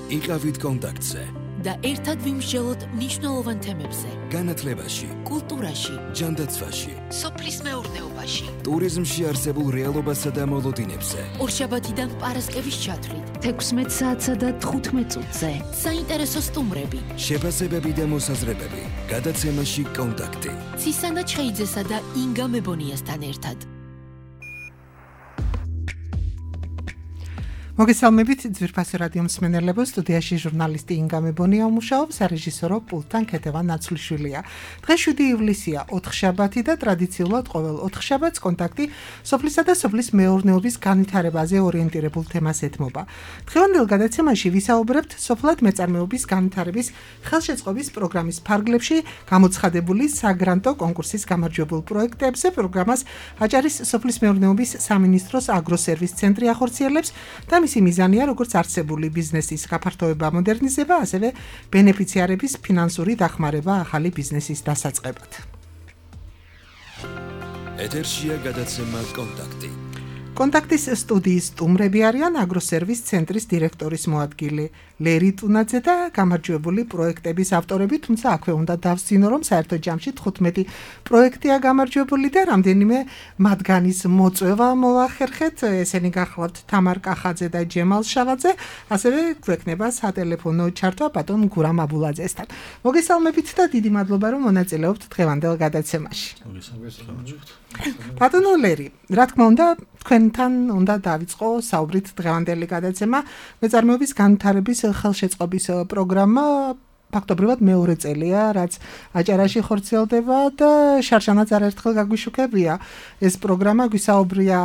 იყავით კონტაქტზე და ერთად ვიმსჯელოთ მნიშვნელოვან თემებზე. განათლებაში, კულტურაში, ჯანდაცვაში, სოფლის მეურნეობაში, ტურიზმში არსებულ რეალობასა და მოლოდინებზე. ორშაბათიდან პარასკევის ჩათვლით 16 საათსა და 15 წუთზე. საინტერესო სტუმრები, შეფასებები და მოსაზრებები. გადაცემაში კონტაქტი. ცისანა ჩხეიძესა და ინგა მებონიასთან ერთად. მოგესალმებით ძვირფასი რადიო მსმენელებო, სტუდიაში ჟურნალისტი ინგა მებონია მუშაობს, რეჟისორო პულტთან ქეთევან ნაცვლიშვილია. დღეს 7 ივლისია, ოთხშაბათი და ტრადიციულად ყოველ ოთხშაბათს კონტაქტი სოფლისა და სოფლის მეურნეობის განვითარებაზე ორიენტირებულ თემას ეთმობა. დღევანდელ გადაცემაში ვისაუბრებთ სოფლად მეწარმეობის განვითარების ხელშეწყობის პროგრამის ფარგლებში გამოცხადებული საგრანტო კონკურსის გამარჯვებულ პროექტებზე. პროგრამას აჭარის სოფლის მეურნეობის სამინისტროს აგროსერვის ცენტრი ახორციელებს და მისი მიზანია როგორც არსებული ბიზნესის გაფართოება, მოდერნიზება, ასევე ბენეფიციარების ფინანსური დახმარება ახალი ბიზნესის დასაწყებად. ეთერშია გადაცემა კონტაქტი. კონტაქტის სტუდიის სტუმრები არიან აგროსერვის ცენტრის დირექტორის მოადგილე ლერი ტუნაძე და გამარჯვებული პროექტების ავტორები, თუმცა აქვე უნდა დავსწინო, რომ საერთო ჯამში 15 პროექტია გამარჯვებული და რამდენიმე მათგანის მოწვევა მოახერხეთ. ესენი გახლავთ თამარ კახაძე და ჯემალ შავაძე, ასევე გვექნება სატელეფონო ჩართვა ბატონ გურამ აბულაძესთან. მოგესალმებით და დიდი მადლობა, რომ მონაწილეობთ დღევანდელ გადაცემაში. ბატონო ლერი, რა თქმა უნდა, თქვენთან უნდა დავიწყო საუბრით დღევანდელი გადაცემა. მეწარმეობის განვითარების ხელშეწყობის პროგრამა ფაქტობრივად მეორე წელია, რაც აჭარაში ხორციელდება და შარშანაც არაერთხელ გაგვიშუქებია. ეს პროგრამა გვისაუბრია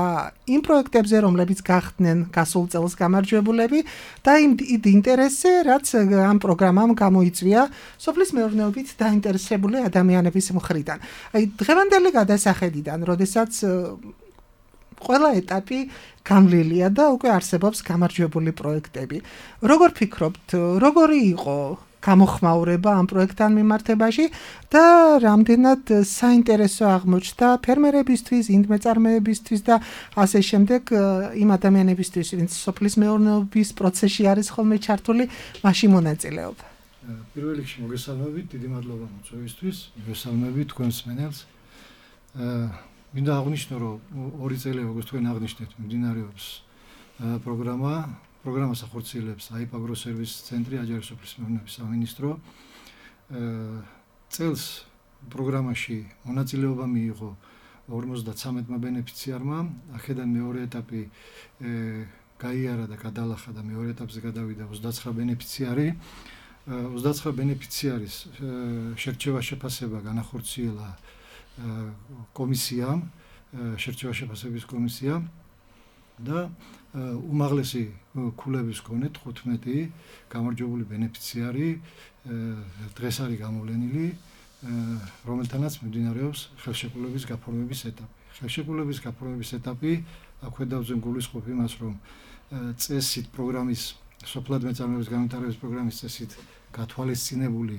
იმ პროექტებზე, რომლებიც გახდნენ გასულ წელს გამარჯვებულები და იმ ინტერესზე, რაც ამ პროგრამამ გამოიწვია სოფლის მეურნეობით დაინტერესებული ადამიანების მხრიდან. აი, დღევანდელი გადასახედიდან, როდესაც ყველა ეტაპი გამლილია და უკვე არსებობს გამარჯვებული პროექტები. როგორ ფიქრობთ, როგორი იყო გამოხმაურება ამ პროექტთან მიმართებაში და რამდენად საინტერესო აღმოჩნდა ფერმერებისთვის, ინდმეწარმეებისთვის და ასე შემდეგ იმ ადამიანებისთვის, ვინც სოფლის მეურნეობის პროცესში არის ხოლმე ჩართული, მასში მონაწილეობა. პირველ რიგში მოგესალმებით, დიდი მადლობა მოწვევისთვის, მოგესალმებით თქვენ მსმენელს. მინდა აღნიშნო, რომ 2 წელი, როგორც თქვენ აღნიშნეთ, მიმდინარეობს პროგრამას ახორციელებს აიპ აგროსერვის ცენტრი, აჭარის სოფლის მეურნეობის სამინისტრო. წელს პროგრამაში მონაწილეობა მიიღო 53 ბენეფიციარმა. აქედან მეორე ეტაპი გაიარა და გადალახა და მეორე ეტაპზე გადავიდა 29 ბენეფიციარი. 29 ბენეფიციარის შერჩევა-შეფასება განახორციელა კომისიამ, შერჩევა-შეფასების კომისიამ და უმაღლესი ქულების მქონე 15 გამარჯვებული ბენეფიციარი დღეს არის გამოვლენილი, რომელთანაც მიმდინარეობს ხელშეკრულების გაფორმების ეტაპი. ხელშეკრულების გაფორმების ეტაპი აქვე დავძენ გულისხმობ იმას, რომ წესით პროგრამის სოფლად მეწარმეობის განვითარების პროგრამის წესით გათვალისწინებული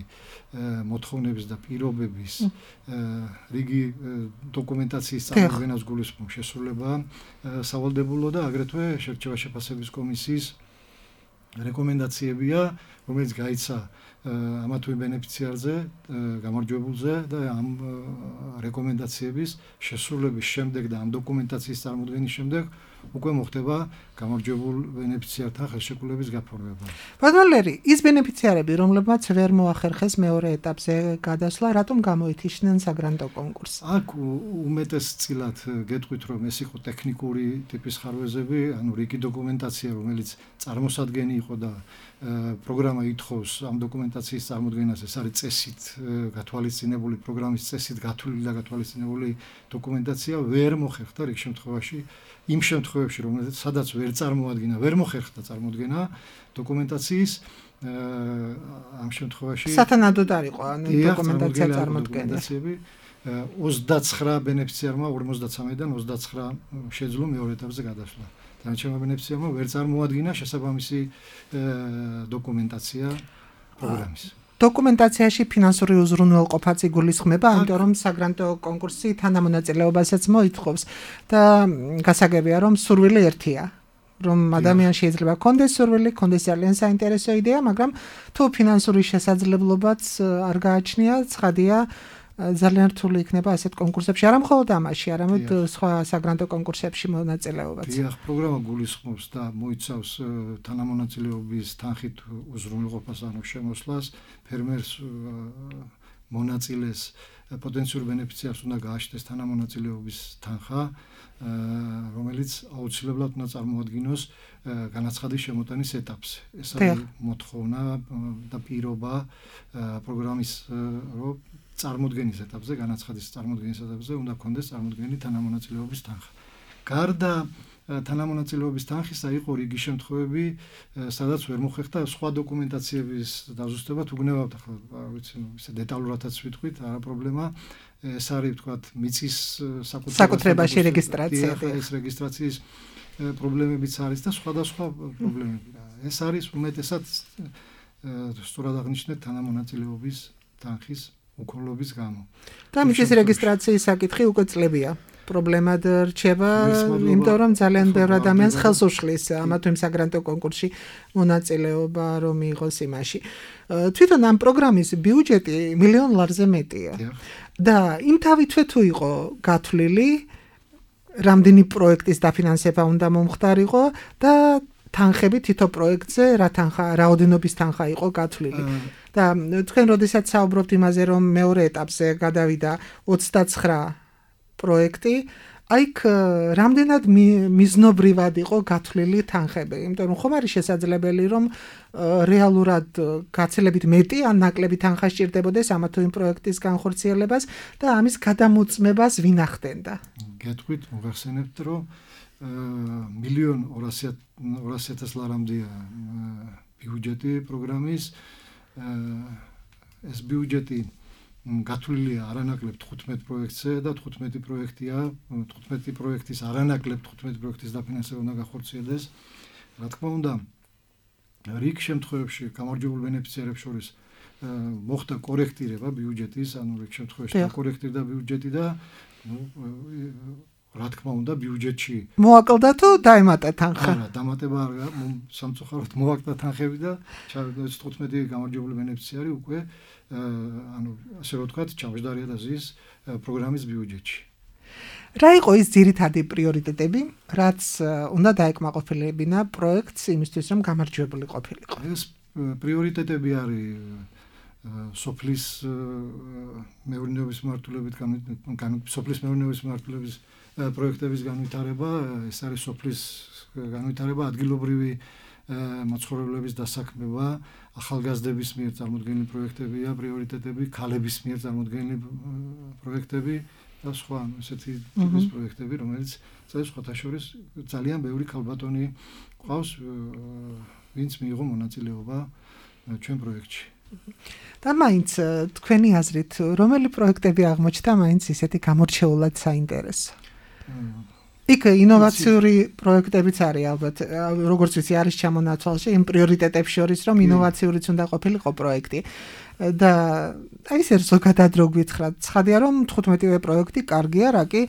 მოთხოვნების და პირობების რიგი დოკუმენტაციის წარმოდგენას გულისხმობ შესრულება სავალდებულო და აგრეთვე შერჩევა-შეფასების კომისიის რეკომენდაციებია, რომელიც გაიცა ამა თუ იმ ბენეფიციარზე, გამარჯვებულზე და ამ რეკომენდაციების შესრულების შემდეგ და ამ დოკუმენტაციის წარმოდგენის შემდეგ უკვე მოხდება გამარჯვებულ ბენეფიციართან ხელშეკრულების გაფორმება. ბატონ ლერი, ის ბენეფიციარები, რომლებმაც ვერ მოახერხეს მეორე ეტაპზე გადასვლა, რატომ გამოითიშნენ საგრანტო კონკურსს? აქ უმეტესწილად გეტყვით, რომ ეს იყო ტექნიკური ტიპის ხარვეზები, ანუ რიგი დოკუმენტაცია, რომელიც წარმოსადგენი იყო და პროგრამა ითხოვს ამ დოკუმენტაციის წარმოდგენას, ეს არის წესით გათვალისწინებული, პროგრამის წესით გათვლილი და გათვალისწინებული დოკუმენტაცია ვერ მოხერხდა რიგ შემთხვევაში, იმ შემთხვევებში, რომელსაც სადაც ვერ მოხერხდა წარმოდგენა დოკუმენტაციის, ამ შემთხვევაში სათანადოდ არ იყო დოკუმენტაცია წარმოდგენა. 29 ბენეფიციარმა 53-დან 29 შეძლო მეორე ეტაპზე გადასვლა. დანარჩენმა ბენეფიციარმა ვერ წარმოადგინა შესაბამისი დოკუმენტაცია პროგრამის. დოკუმენტაციაში ფინანსური უზრუნველყოფაც იგულისხმება, ამიტომ რომ საგრანტო კონკურსი თანამონაწილეობასაც მოითხოვს და გასაგებია, რომ სურვილი ერთია. რომ ადამიანს შეიძლება კონდეს სურვილი, კონდეს ძალიან საინტერესო იდეა, მაგრამ თუ ფინანსური შესაძლებლობაც არ გააჩნია, ცხადია ძალიან რთული იქნება ასეთ კონკურსებში, არა მხოლოდ ამაში, არამედ სხვა საგრანტო კონკურსებში მონაწილეობაც. დიახ, პროგრამა გულისხმობს და მოიცავს თანამონაწილეობის თანხით უზრუნველყოფას, ანუ შემოსვლას, ფერმერს მონაწილეს პოტენციურ ბენეფიციარს უნდა გააჩნდეს თანამონაწილეობის თანხა, რომელიც აუცილებლად უნდა წარმოადგინოს განაცხადის შემოტანის ეტაპზე. ეს არის მოთხოვნა და პირობა პროგრამის რომ წარმოდგენის ეტაპზე, განაცხადის წარმოდგენის ეტაპზე უნდა კონდეს წარმოდგენილი თანამონაწილეობის თანხა. გარდა თანამონაწილეობის თანხისა იყო რიგი შემთხვევები, სადაც ვერ მოხერხდა სხვა დოკუმენტაციების დაზუსტება, თუ გნებავთ ახლა, ვიცი, ისე დეტალურადაც ვიტყვით, არა პრობლემა. ეს არის ვთქვათ, მიწის საკუთრებაში რეგისტრაცია. ეს რეგისტრაციის პრობლემებიც არის და სხვადასხვა პრობლემები. ეს არის უმეტესად სწორად აღნიშნეთ თანამონაწილეობის თანხის უქონლობის გამო. და მიწის რეგისტრაციის საკითხი უკვე წლებია. პრობლემად რჩება, იმიტომ რომ ძალიან ბევრი ადამიანს ხელს უშლის ამა თუ იმ საგრანტო კონკურსში მონაწილეობა რომ მიიღოს იმაში. თვითონ ამ პროგრამის ბიუჯეტი $1 მილიონზე მეტია. და იმ თავითვე თუ იყო გათვლილი, რამდენი პროექტის დაფინანსება უნდა მომხდარიყო და თანხები თითო პროექტზე რა რაოდენობის თანხა იყო გათვლილი. და თქვენ როდესაც საუბრობთ იმაზე, რომ მეორე ეტაპზე გადავიდა 29 პროექტი, აიქ რამდენად მიზნობრივად იყო გათვლილი თანხები, იმიტომ რომ ხომ არის შესაძლებელი, რომ რეალურად გაცილებით მეტი ან ნაკლები თანხა სჭირდებოდეს ამა თუ იმ პროექტის განხორციელებას და ამის გადამოწმებას ვინახდენდა. გეტყვით, მოგახსენებთ, რომ $1,200,000 ლარამდეა ბიუჯეტი პროგრამის. ეს ბიუჯეტი გათვლილია არანაკლებ 15 პროექტზე და 15 პროექტია, 15 პროექტის არანაკლებ 15 პროექტის დაფინანსება უნდა გახორციელდეს. რა თქმა უნდა, რიგ შემთხვევებში გამარჯვებულ ბენეფიციარებს შორის მოხდა კორექტირება ბიუჯეტის, ანუ რიგ შემთხვევაში დაკორექტირდა ბიუჯეტი და რა თქმა უნდა, ბიუჯეტში მოაკლდა თუ დაემატა თანხა? არა, დამატება არ სამწუხაროდ მოაკლდა თანხები და 15 გამარჯვებული ბენეფიციარი უკვე ანუ ასე რომ ვთქვათ, ჩამოждარია და ზის პროგრამის ბიუჯეტში. რა იყო ის ძირითადი პრიორიტეტები, რაც უნდა დაეკმაყოფილებინა პროექტს იმისთვის, რომ გამარჯვებული ყოფილიყო? ეს პრიორიტეტები არის სოფლის მეურნეობის მიმართულებით სოფლის მეურნეობის მიმართულების პროექტების განვითარება, ეს არის სოფლის განვითარება, ადგილობრივი მაცხოვრებლების დასაქმება, ახალგაზრდების მიერ წარმოდგენილი პროექტებია, პრიორიტეტები, ქალების მიერ წარმოდგენილი პროექტები და სხვა ესეთი ტიპის პროექტები, რომელიც სხვათა შორის ძალიან ბევრი ქალბატონი ყავს, ვინც მიიღო მონაწილეობა ჩვენ პროექტში. და მაინც თქვენი აზრით, რომელი პროექტები აღმოჩნდა მაინც ისეთი გამორჩეულად საინტერესო? იქ ინოვაციური პროექტებიც არის ალბათ, როგორც ვიცი, არის ჩამონაცვალში იმ პრიორიტეტებს შორის, რომ ინოვაციურიც უნდა ყოფილიყო პროექტი. და აი ეს ზოგადად რო გითხრათ, ცხადია რომ 15-ვე პროექტი კარგია, რა კი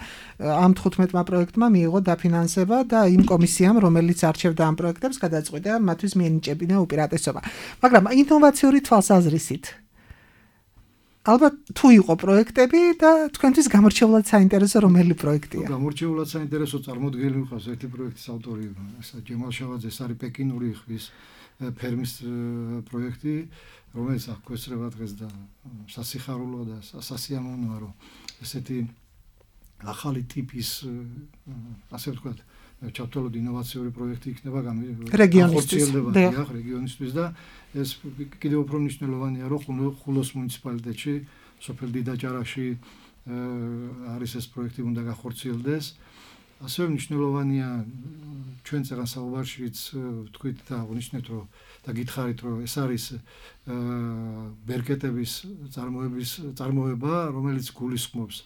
ამ 15-მა პროექტმა მიიღო დაფინანსება და იმ კომისიამ, რომელიც არჩევდა ამ პროექტებს, გადაწყვიტა მათთვის მიენიჭებინა უპირატესობა. მაგრამ ინოვაციური თვალსაზრისით ალბათ თუ იყო პროექტები და თქვენთვის გამორჩეულად საინტერესო რომელი პროექტია? გამორჩეულად საინტერესო წარმოდგენილი ვიყავს ერთი პროექტის ავტორი, ჯემალ შავაძე, ეს არის პეკინური ხვის ფერმის პროექტი, რომელიც აღკვეცრება დღეს და სასიხარულო და სასიამოვნოა, რომ ესეთი ახალი ტიპის ასე ვთქვათ, ჩავთვალოთ ინოვაციური პროექტი იქნება რეგიონისთვის და ეს კიდევ უფრო მნიშვნელოვანია, რომ ხულოს მუნიციპალიტეტში, სოფელ დიდაჭარაში არის ეს პროექტი უნდა გახორციელდეს. ასევე მნიშვნელოვანია ჩვენ წეგან საუბარშიც ვთქვით და აღნიშნეთ, რომ და გითხარით, რომ ეს არის ბერკეტების წარმოება, რომელიც გულისხმობს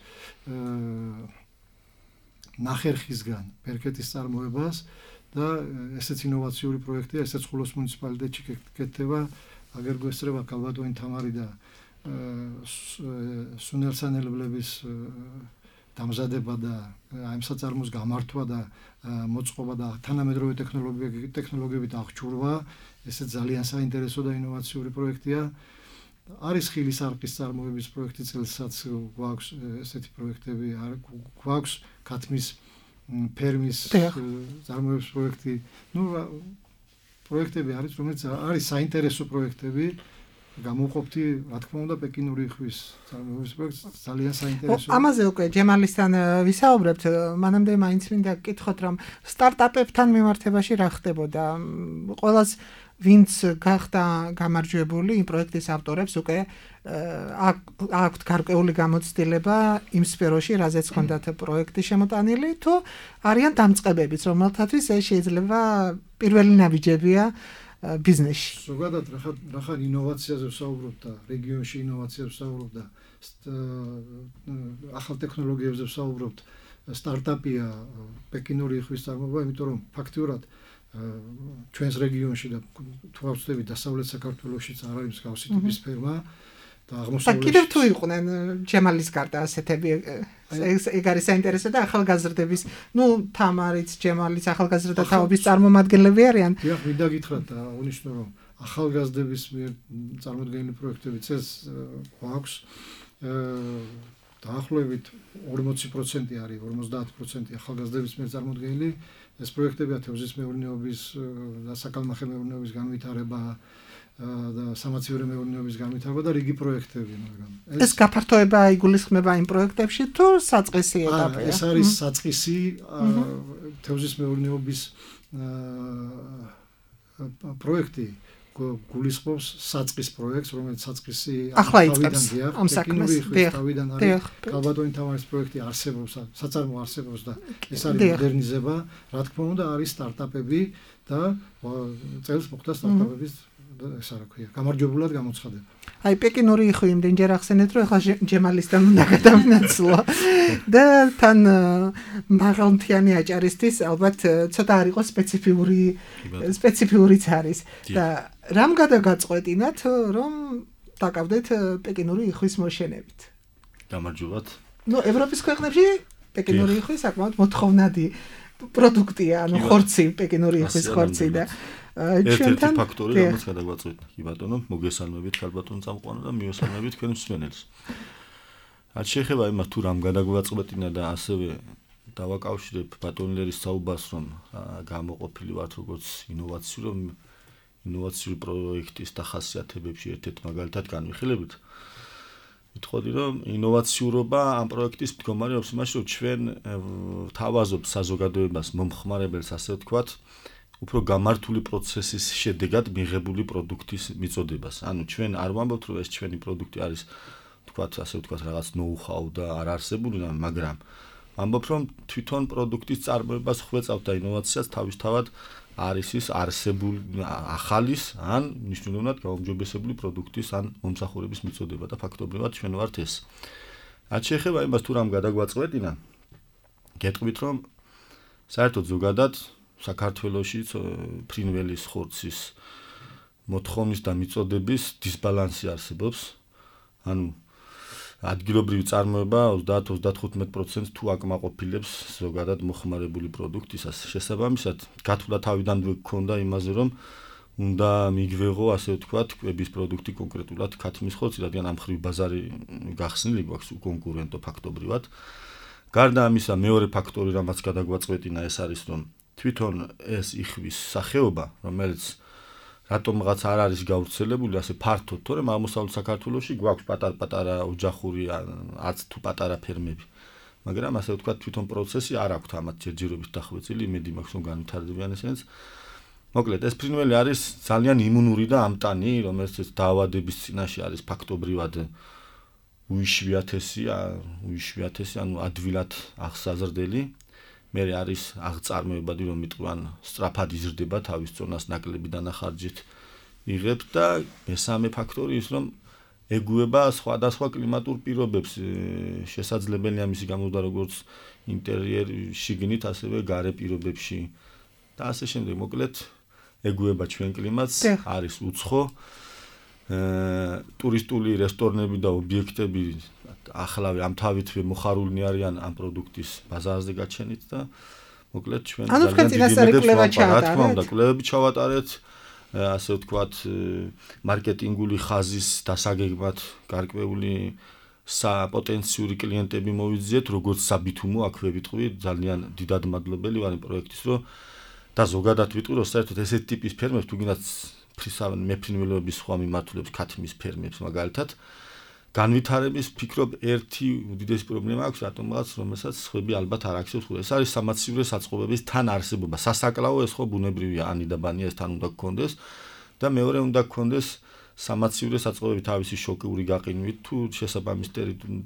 ნახერხისგან ბერკეტის წარმოებას და ესეც ინოვაციური პროექტია, ესეც ხულოს მუნიციპალიტეტში გეკეთება, აგერ გვესწრება ქალბატონი თამარი და სუნელსანელებლების დამზადება და ამ საწარმოს გამართვა და მოწყობა და თანამედროვე ტექნოლოგიებით აღჭურვა, ესე ძალიან საინტერესო და ინოვაციური პროექტია. არის ხილის არყის წარმოების პროექტი წელსაც გვაქვს ესეთი პროექტები, გვაქვს ქათმის ფერმის წარმოების პროექტი. პროექტები არის, რომელიც არის საინტერესო პროექტები. გამოვყოფთი, რა თქმა უნდა, პეკინური იხვის წარმოების პროექტს ძალიან საინტერესოა. ამაზე უკვე ჯემალისთან ვისაუბრებთ, მანამდე მაინც მინდა გკითხოთ, რომ სტარტაპებთან მიმართებაში რა ხდებოდა? ყველას ვინც გახდა გამარჯვებული იმ პროექტის ავტორებს უკვე აქვთ გარკვეული გამოცდილება იმ სფეროში, რაზეც ჰქონდათ პროექტი შემოტანილი, თუ არიან დამწყებებიც, რომელთათვის ეს შეიძლება პირველი ნაბიჯებია ბიზნესში. ზოგადად რახან ინოვაციაზე ვსაუბრობ და რეგიონში ინოვაციაზე ვსაუბრობ და ახალ ტექნოლოგიებზე ვსაუბრობთ, სტარტაპია პეკინური იხვის წარმოება, იმიტომ რომ ფაქტიურად ჩვენს რეგიონში და თუ ავწდები დასავლეთ საქართველოშიც არ არის მსგავსი ტიპის ფერმა და აღმოსავლეთში. კიდევ თუ იყვნენ ჯემალის გარდა ასეთები, ეგ არის საინტერესო და ახალგაზრდების, თამარიც, ჯემალიც ახალგაზრდა თაობის წარმომადგენლები არიან. დიახ, მინდა გითხრათ და აღნიშნო, რომ ახალგაზრდების მიერ წარმოდგენილი პროექტები წელს გვაქვს. დაახლოებით 40% არის, 50% ახალგაზრდების მიერ წარმოდგენილი. ეს პროექტებია თევზის მეურნეობის და საკალმახე მეურნეობის განვითარება და სამაცივრო მეურნეობის განვითარება და რიგი პროექტები, მაგრამ ეს გაფართოება იგულისხმება იმ პროექტებში თუ საწყისი ეტაპია? ეს არის საწყისი თევზის მეურნეობის პროექტი გულისხმობს საწყის პროექტს, რომელიც საწყისი ახლა იწყებს ამ საქმეს. თავიდან არის კალბატონი თამარის პროექტი არსებობს, საწარმო არსებობს და ეს არის მოდერნიზება, რა თქმა უნდა არის სტარტაპები და წელს მოხდა სტარტაპების ეს რა ქვია, გამარჯვებულად გამოცხადება. აი პეკინური იხვი იმდენჯერ ახსენეთ, რომ ახლა ჯემალისთან უნდა გადავინაცვლა და თან მაღალმთიანი აჭარისთვის ალბათ ცოტა არ იყოს სპეციფიურიც არის და რამ გადაგაწყვეტინათ, რომ დაკავდეთ პეკინური იხვის მოშენებით? გამარჯვებათ. ევროპის ქვეყნებში პეკინური იხვის საკმაოდ მოთხოვნადი პროდუქტია, ხორცი, პეკინური იხვის ხორცი და ერთ-ერთი ფაქტორი, რომელიც გადაგვაწყვეტა, კი ბატონო, მოგესალმებით ქალბატონ წამყვანო და მიესალმებით თქვენ მსმენელს. რაც შეეხება იმას, თუ რამ გადაგვაწყვეტინა და ასევე დავაკავშირებ ბატონლერის საუბარს, რომ გამოყოფილი ვართ როგორც ინოვაციური პროექტის დახასიათებებში ერთ-ერთ მაგალითად განვიხილებით. ვიტყოდი, რომ ინოვაციურობა ამ პროექტის მდგომარეობს იმაში, რომ ჩვენ თავაზობთ საზოგადოებას მომხმარებელს, ასე ვთქვათ, უფრო გამართული პროცესის შედეგად მიღებული პროდუქტის მიწოდებას. ანუ ჩვენ არ ვამბობთ, რომ ეს ჩვენი პროდუქტი არის, ასე ვთქვათ, რაღაც ნოუ-ჰაუ და არ არსებული, მაგრამ ვამბობ, რომ თვითონ პროდუქტის წარმოებას ხვეწავთ და ინოვაციას თავისთავად არის ის არსებული ახალის ან მნიშვნელოვნად გაუმჯობესებული პროდუქტის ან მომსახურების მიწოდება და ფაქტობრივად ჩვენ ვართ ეს. რაც შეეხება იმას, თუ რამ გადაგვაწყვეტინა, გეტყვით, რომ საერთოდ ზოგადად საქართველოში ფრინველის ხორცის მოთხოვნის და მიწოდების დისბალანსი არსებობს. ანუ ადგილობრივი წარმოება 30-35% თუ აკმაყოფილებს ზოგადად მოხმარებული პროდუქტისას. შესაბამისად, გათვლა თავიდანვე გქონდა იმაზე, რომ უნდა მიგვეღო, ასე ვთქვათ, კვების პროდუქტი კონკრეტულად ქათმის ხორცი, რადგან ამ ხრივ ბაზარი გახსნილი გვაქვს კონკურენტო ფაქტობრივად. გარდა ამისა, მეორე ფაქტორი, რამაც გადაგვაწყვეტინა, ეს არის, რომ თვითონ ეს იხვის სახეობა, რომელიც რატომღაც არ არის გავრცელებული ასე ფართოდ, თორემ აღმოსავლეთ საქართველოში გვაქვს პატარ-პატარა ოჯახური არც თუ პატარა ფერმები. მაგრამ ასე ვთქვათ, თვითონ პროცესი არ აქვს ამათ ჯერჯერობით დახვეწილი, იმედი მაქვს, რომ განვითარდებიან ესენიც. მოკლედ, ეს ფრინველი არის ძალიან იმუნური და ამტანი, რომელიც დაავადების წინაშე არის ფაქტობრივად უიშვიათესი, ანუ ადვილად აღსაზრდელი. მე არის აღწარმოებადი, რომ მიტყვან სწრაფად იზრდება, თავის წონას ნაკლები დანახარჯით იღებს და მესამე ფაქტორი ის, რომ ეგუება სხვადასხვა კლიმატურ პირობებს, შესაძლებელია მისი გამოდვა როგორც ინტერიერში, შიგნით, ასევე გარე პირობებში და ასე შემდეგ. მოკლედ, ეგუება ჩვენ კლიმატს, არის უცხო, ტურისტული რესტორნები და ობიექტები ახლავე ამ თავითვე მოხარულნი არიან ამ პროდუქტის ბაზარზე გაჩენით და მოკლედ ჩვენ ძალიან დიდი კვლევები ჩავატარეთ, ასე ვთქვათ, მარკეტინგული ხაზის დასაგეგმად გარკვეული საპოტენციური კლიენტები მოვიძიეთ, როგორც საბითუმო, აქვე ვიტყვი, ძალიან დიდად მადლობელი ვარ იმ პროექტის, რომ და ზოგადად ვიტყვი, რომ საერთოდ ესეთ ტიპის ფერმებს თუ გინდათ მეფრინველების სხვა მიმართულებს, ქათმის ფერმებს მაგალითად, განვითარების ფიქრობ ერთი უდიდესი პრობლემა აქვს რატომღაც, რომელსაც სხვები ალბათ არ აქცევს. ეს არის სამაცივრო საწყობების თან არსებობა. სასაკლაო ეს ხო ბუნებრივია, ანიდაბანია, ეს თან უნდა გქონდეს და მეორე უნდა გქონდეს სამაცივრო საწყობები თავისი შოკიური გაყინვით თუ შესაბამის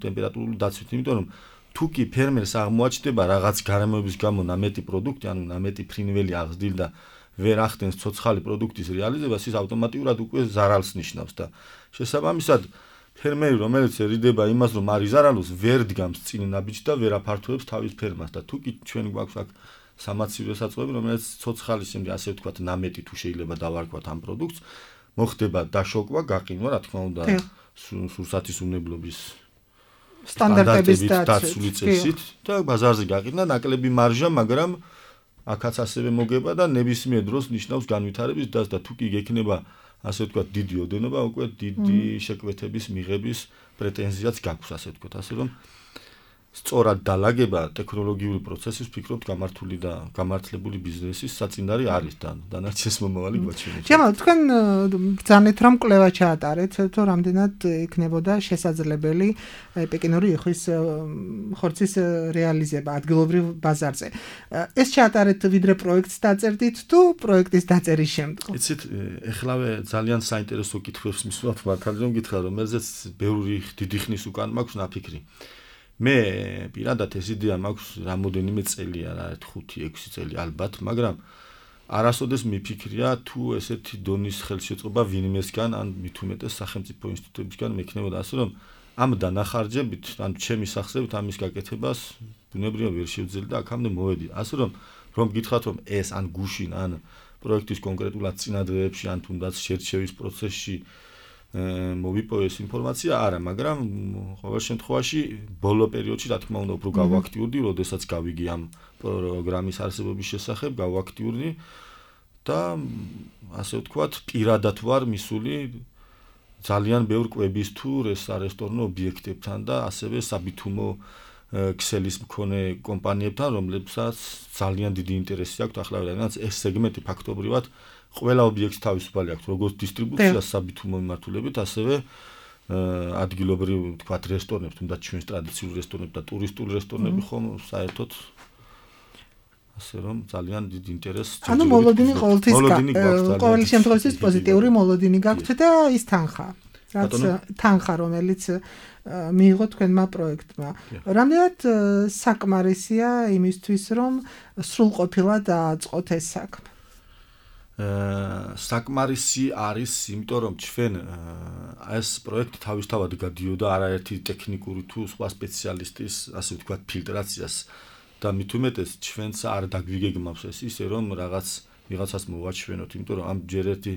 ტემპერატურული დაცვით, იმიტომ რომ თუ კი ფერმერს აღმოაჩნდება რაღაც გარემოების გამო ნამეტი პროდუქტი, ანუ ნამეტი ფრინველი აღზრდილ და ვერ ახდენს ცოცხალი პროდუქტის რეალიზებას, ის ავტომატურად უკვე ზარალს ნიშნავს და შესაბამისად ფერმერი, რომელიც ერიდება იმას, რომ არ იზარალოს, ვერ დგამს წინ ნაბიჯს და ვერ აფართოებს თავის ფერმას და თუ კი ჩვენ გვაქვს აქ სამაცივრო საწყობები, რომელიც ცოცხალის იმდე ასე ვთქვათ, ნამეტი თუ შეიძლება დავარქვათ ამ პროდუქტს, მოხდება დაშოკვა, გაყინვა, რა თქმა უნდა, სურსათის უნებლობის სტანდარტების დაცული წესით და ბაზარზე გაყინა ნაკლები მარჟა, მაგრამ აქაც ასევე მოგება და ნებისმიერ დროს ნიშნავს განვითარების დასს და თუ კი გექნება ასე ვთქვათ, დიდი ოდენობა, უკვე დიდი შეკვეთების მიღების პრეტენზიაც გაქვს, ასე ვთქვათ, ასე რომ სწორად დალაგება ტექნოლოგიური პროცესის ფიქრობთ გამართული და გამართლებული ბიზნესის საწინდარი არის და დანარჩენს მომავალი გვაჩვენებს. ჯამალ, თქვენ ბრძანეთ რომ კვლევა ჩაატარეთ, თუ რამდენად იქნებოდა შესაძლებელი პეკინური იხვის ხორცის რეალიზება ადგილობრივ ბაზარზე. ეს ჩაატარეთ ვიდრე პროექტს დაწერდით თუ პროექტის დაწერის შემდგომ? იცით, ეხლავე ძალიან საინტერესო კითხვებს მისვამთ მართალი რომ გითხრა, რომელზეც ბევრი დიდი ხნის უკან მაქვს ნაფიქრი. მე პირადად ეს იდეა მაქვს რამოდენიმე წელია, რა 5-6 წელი ალბათ, მაგრამ არასოდეს მიფიქრია თუ ესეთი დონის ხელშეწყობა ვინმესგან ან მით უმეტეს სახელმწიფო ინსტიტუტებისგან მექნებოდა, ასე რომ ამ დანახარჯებით, ან ჩემი სახსრებით ამის გაკეთებას ბუნებრივად ვერ შევძელი და აქამდე მოვედი. ასე რომ გითხრათ რომ ეს ან გუშინ ან პროექტის კონკრეტულად წინადრეებში ან თუნდაც შერჩევის პროცესში მოვიპოვეს ინფორმაცია არა, მაგრამ ყოველ შემთხვევაში ბოლო პერიოდში რა თქმა უნდა უფრო გავაქტიურდი, როდესაც გავიგი ამ პროგრამის არსებობის შესახებ, გავაქტიურდი და ასე ვთქვათ, პირადად ვარ მისული ძალიან ბევრ კვების თუ რესტორნო ობიექტებთან და ასევე საბითუმო ქსელის მქონე კომპანიებთან, რომლებსაც ძალიან დიდი ინტერესი აქვთ ახლავე, რადგან ეს სეგმენტი ფაქტობრივად ყველა ობიექტს თავისუფალი აქვს, როგორც დისტრიბუციას საბითუმო მიმართულებით, ასევე ადგილობრივ ვთქვათ რესტორნებს, თუნდაც ჩვენს ტრადიციული რესტორნები და ტურისტული რესტორნები ხომ საერთოდ ასე რომ ძალიან დიდი ინტერესი. ანუ მოლოდინი ყოველ შემთხვევაში პოზიტიური მოლოდინი გაქვთ და ის თანხა, რომელიც მიიღო თქვენმა პროექტმა. რამდენად საკმარისია იმისთვის, რომ სრულყოფილად დააწყოთ ეს საქმე? საკმარისი არის, იმიტომ რომ ჩვენ ეს პროექტი თავისთავად გადიოდა არაერთი ტექნიკური თუ სხვა სპეციალისტის, ასე ვთქვათ, ფილტრაციას და მით უმეტეს ჩვენც არ დაგვიგეგმავს ეს ისე რომ ვიღაცას მოვაჩვენოთ, იმიტომ რომ ამ ჯერ ერთი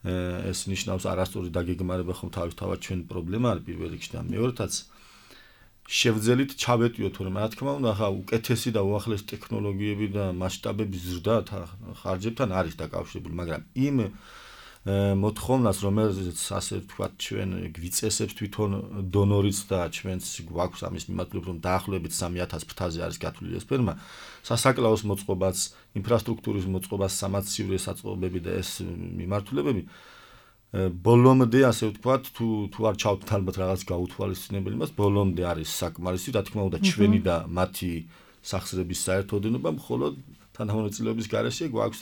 ეს ნიშნავს არასწორი დაგეგმარება ხომ თავისთავად ჩვენ პრობლემა არის პირველ რიგში და მეორედაც შევძელით ჩავეტიოთ, რომ რა თქმა უნდა, ხა უკეთესი და უახლესი ტექნოლოგიები და მასშტაბების ზრდა ხარჯებთან არის დაკავშირებული, მაგრამ იმ მოთხოვნას, რომელზეც ასე ვთქვათ, ჩვენ გვიწესებს თვითონ დონორიც და ჩვენც გვაქვს ამის მიმართულებით, რომ დაახლოებით 3000 ფრთაზე არის გათვლილი ეს ფერმა, სასაკლაოს მოწყობაც, ინფრასტრუქტურის მოწყობას, სამაცივრო საწყობები და ეს მიმართულებები ბოლომდე ასე ვთქვათ, თუ არ ჩავთ ალბათ რაღაც გაუთვალისწინებელი მას, ბოლომდე არის საკმარისი, რა თქმა უნდა, ჩვენი და მათი სახსრების საერთოდენობა, მხოლოდ თანამონაწილეობის გარეშე გვაქვს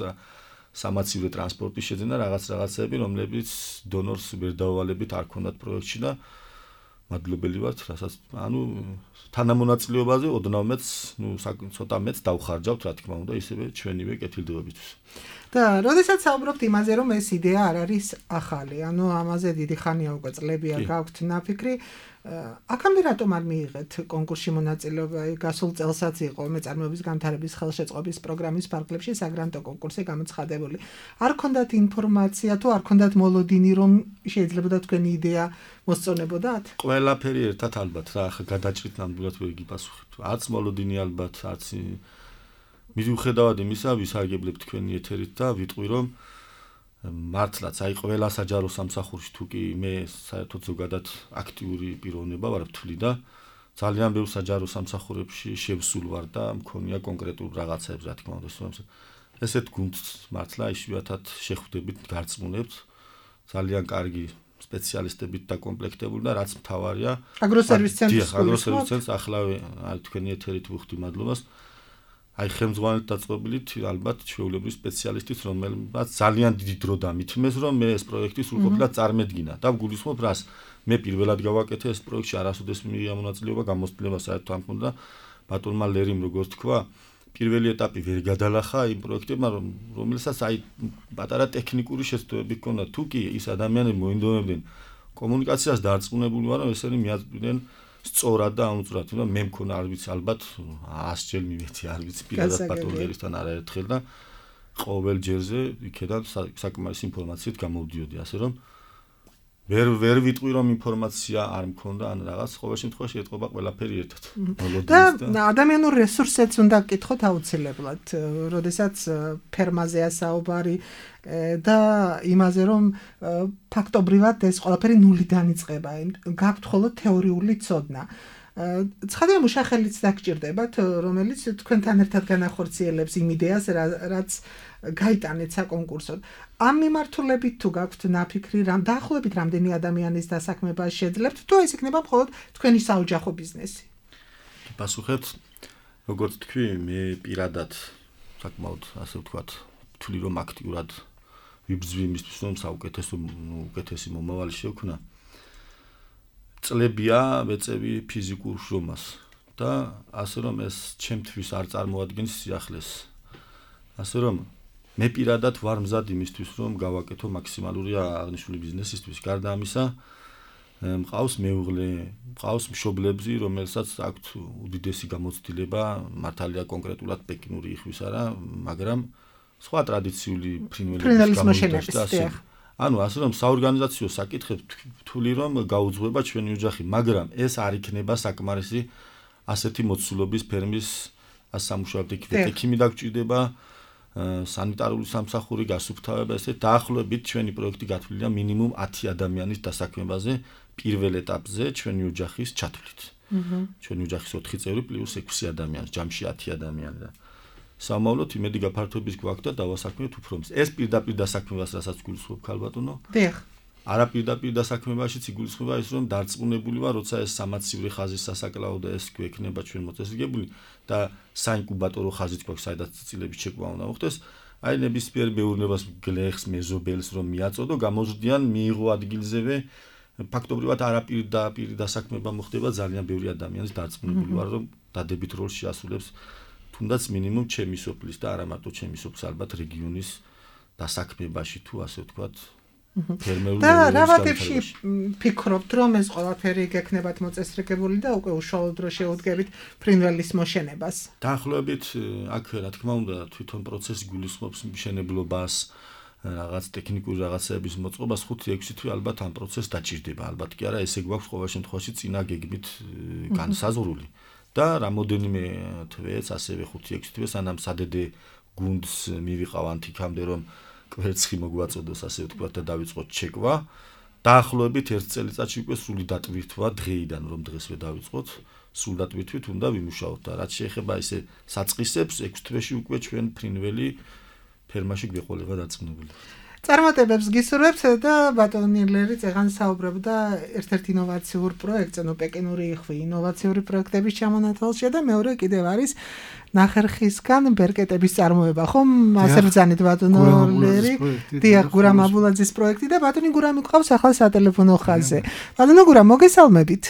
სამაცივრო ტრანსპორტის შეძენა რაღაცები, რომლებიც დონორს ვერ დავალებით არ ქონდათ პროექტში და მადლობელი ვართ, რასაც ანუ თანამონაწილეობაზე ოდნავ მეც, ცოტა მეც დავხარჯავთ, რა თქმა უნდა, ისევე ჩვენივე კეთილდღეობისთვის. და როდესაც საუბრობთ იმაზე, რომ ეს იდეა არ არის ახალი, ანუ ამაზე დიდი ხანია უკვე წლებია გაქვთ ნაფიქრი, აქამდე რატომ არ მიიღეთ კონკურსში მონაწილეობა? გასულ წელსაც იყო მეწარმეობის განვითარების ხელშეწყობის პროგრამის ფარგლებში საგრანტო კონკურსი გამოცხადებული. არ ქონდათ ინფორმაცია თუ არ ქონდათ მოლოდინი, რომ შეიძლებოდა თქვენი იდეა მოსწონებოდათ? ყველაფერი ერთად ალბათ რა, ახლა გადაჭრით ნამდვილად ვერ გიპასუხებთ. არც მოლოდინი ალბათ, არც მიუხედავად იმისა, ვისარგებლებ თქვენი ეთერით და ვიტყვი რომ მართლაც აი ყველა საჯარო სამსახურში თუ კი მე საერთოდ ზოგადად აქტიური პიროვნება ვარ ვთვლი და ძალიან ბევრ საჯარო სამსახურებში შევსულ ვარ და მქონია კონკრეტულ რაღაცებს რა თქმა უნდა ესეთ გუნდს მართლა იშვიათად შეხვდებით, გარწმუნებთ ძალიან კარგი სპეციალისტებით დაკომპლექტებული და რაც მთავარია აგროსერვის ცენტრს ახლავე თქვენი ეთერით ვუხდი მადლობას აი ხელმძღვანელთ დაწყობილით ალბათ ჩვეულებრივი სპეციალისტით რომელმაც ძალიან დიდი დრო დამითმეს რომ მე ეს პროექტი სრულყოფილად წარმედგინა და ვგულისხმობ რას მე პირველად გავაკეთე ეს პროექტში არასოდეს მიიღია მონაწილეობა გამოცდილება საერთოდ ამ ხონდა ბატონმა ლერიმ როგორც თქვა პირველი ეტაპი ვერ გადალახა იმ პროექტებმა რომელსაც აი პატარა ტექნიკური შეცდომები ჰქონდა თუ კი ის ადამიანები მოინდომებდნენ კომუნიკაციას დარწმუნებული ვარ რომ ესენი მიაწვდნენ სწორად და აუწვრად და მე მქონა არ ვიცი ალბათ 100 ჯერ მივეცი არ ვიცი პირადად პატოლოგიასთან არაერთხელ და ყოველ ჯერზე იქედან საკმარისი ინფორმაციით გამოვდიოდი ასე რომ ვერ ვიტყვი რომ ინფორმაცია არ მქონდა ან რაღაც ყოველ შემთხვევაში ეთყობა ყველაფერი ერთად და ადამიანურ რესურსებს უნდა გკითხოთ აუცილებლად როდესაც ფერმაზეა საუბარი და იმაზე რომ ფაქტობრივად ეს ყველაფერი ნულიდან იწყება გაქვთ მხოლოდ თეორიული ცოდნა ცხადია მუშახელიც დაგჭირდებათ რომელიც თქვენთან ერთად განახორციელებს იმ იდეას რაც გაიტანეთ საკონკურსოდ ამ მიმართულებით თუ გაქვთ ნაფიქრი რამ დაახლოებით რამდენი ადამიანის დასაქმება შეძლებთ თუ ეს იქნება მხოლოდ თქვენი საოჯახო ბიზნესი პასუხებთ როგორც თქვი მე პირადად საკმაოდ ასე ვთქვათ ვთვლი რომ აქტიურად ვიბრძვი იმისთვის რომ უკეთესი მომავალი შევქნა წლებია ვეწევი ფიზიკურ შრომას და ასე რომ ეს ჩემთვის არ წარმოადგენს სიახლეს ასე რომ მე პირადად ვარ მზად იმისთვის რომ გავაკეთო მაქსიმალური აღნიშნული ბიზნესისთვის გარდა ამისა მყავს მეუღლე მყავს მშობლები რომელსაც აქვთ უდიდესი გამოცდილება მართალია კონკრეტულად პეკინური იხვის არა მაგრამ სხვა ტრადიციული ფრინველების გამოიყენება ანუ ასე რომ საორგანიზაციო საკითხებს ვთვლი რომ გაუძღვება ჩვენი ოჯახი მაგრამ ეს არ იქნება საკმარისი ასეთი მოცულობის ფერმის ასამუშავებლად ექიმი დაგჭირდება სანიტარული სამსახური გასუფთავება ესე დაახლოებით ჩვენი პროექტი გათვლილია მინიმუმ 10 ადამიანის დასაქმებაზე პირველ ეტაპზე ჩვენი ოჯახის ჩათვლით. ჩვენი ოჯახის 4 წევრი პლუს 6 ადამიანი, ჯამში 10 ადამიანი და სამავლოდ იმედი გაფართოების გვაქვს და დავასაქმებთ უფრო მის. ეს პირდაპირ დასაქმებას რასაც გულისხმობ ქალბატონო? დიახ. არა პირდაპირ დასაქმებაშიც იგულისხმება ის რომ დარწმუნებული ვარ როცა ეს სამაცივრი ხაზის სასაკლაო და ეს გვექნება ჩვენ მოწესრიგებული და საინკუბატორო ხაზით გვაქვს საიდაც წილების შეკვლა უნდა მოხდეს აი ნებისმიერ მეურნეობას გლეხს მეზობელს რომ მიაწოდო გამოზრდიან მიიღო ადგილზევე ფაქტობრივად არაპირდაპირ დასაქმება მოხდება ძალიან ბევრი ადამიანის დარწმუნებული ვარ რომ დადებით როლს შეასრულებს თუნდაც მინიმუმ ჩემი სოფლის და არა მარტო ჩემი სოფლის ალბათ რეგიონის დასაქმებაში თუ ასე ვთქვათ და რა ვაკეთში ფიქრობთ რომ ეს ყველაფერი გექნებათ მოწესრიგებული და უკვე უშუალოდ რო შეუდგებით ფრინველის მოშენებას დაახლოებით აქ რა თქმა უნდა თვითონ პროცესი გულისხმობს მშენებლობას რაღაც ტექნიკური რაღაცების მოწყობას 5-6 თვე ალბათ ამ პროცესს დაჭირდება ალბათ კი არა ესე გვაქვს ყოველ შემთხვევაში წინა გეგმით განსაზღვრული და რამოდენიმე თვეც ასევე 5-6 თვე სანამ სადედე გუნდს მივიყავ ანთიკამდე რომ კვერცხი მოგვაწოდოს ასე ვთქვათ და დავიწყოთ ჩეკვა დაახლოებით 1 წელიწადში უკვე სრული დატვირთვა დღეიდან რომ დღესვე დავიწყოთ სრულ დატვირთვით უნდა ვიმუშაოთ და რაც შეეხება ესე საწყისებს 6 თვეში უკვე ჩვენ ფრინველი ფერმაში გვეყოლება დაწნებული წარმატებებს გისურვებთ და ბატონი ლერი წეგან საუბრობდა ერთ-ერთ ინოვაციურ პროექტზე, ნუ პეკინური იხვი ინოვაციური პროექტების ჩამონათვალშია და მეორე კიდევ არის ნახერხისგან ბერკეტების წარმოება, ხომ? ასე ბრძანით ბატონო ლერი, დიახ, გურამ აბულაძის პროექტი და ბატონი გურამი გვყავს ახლა სატელეფონო ხაზზე. ბატონო გურამ, მოგესალმებით.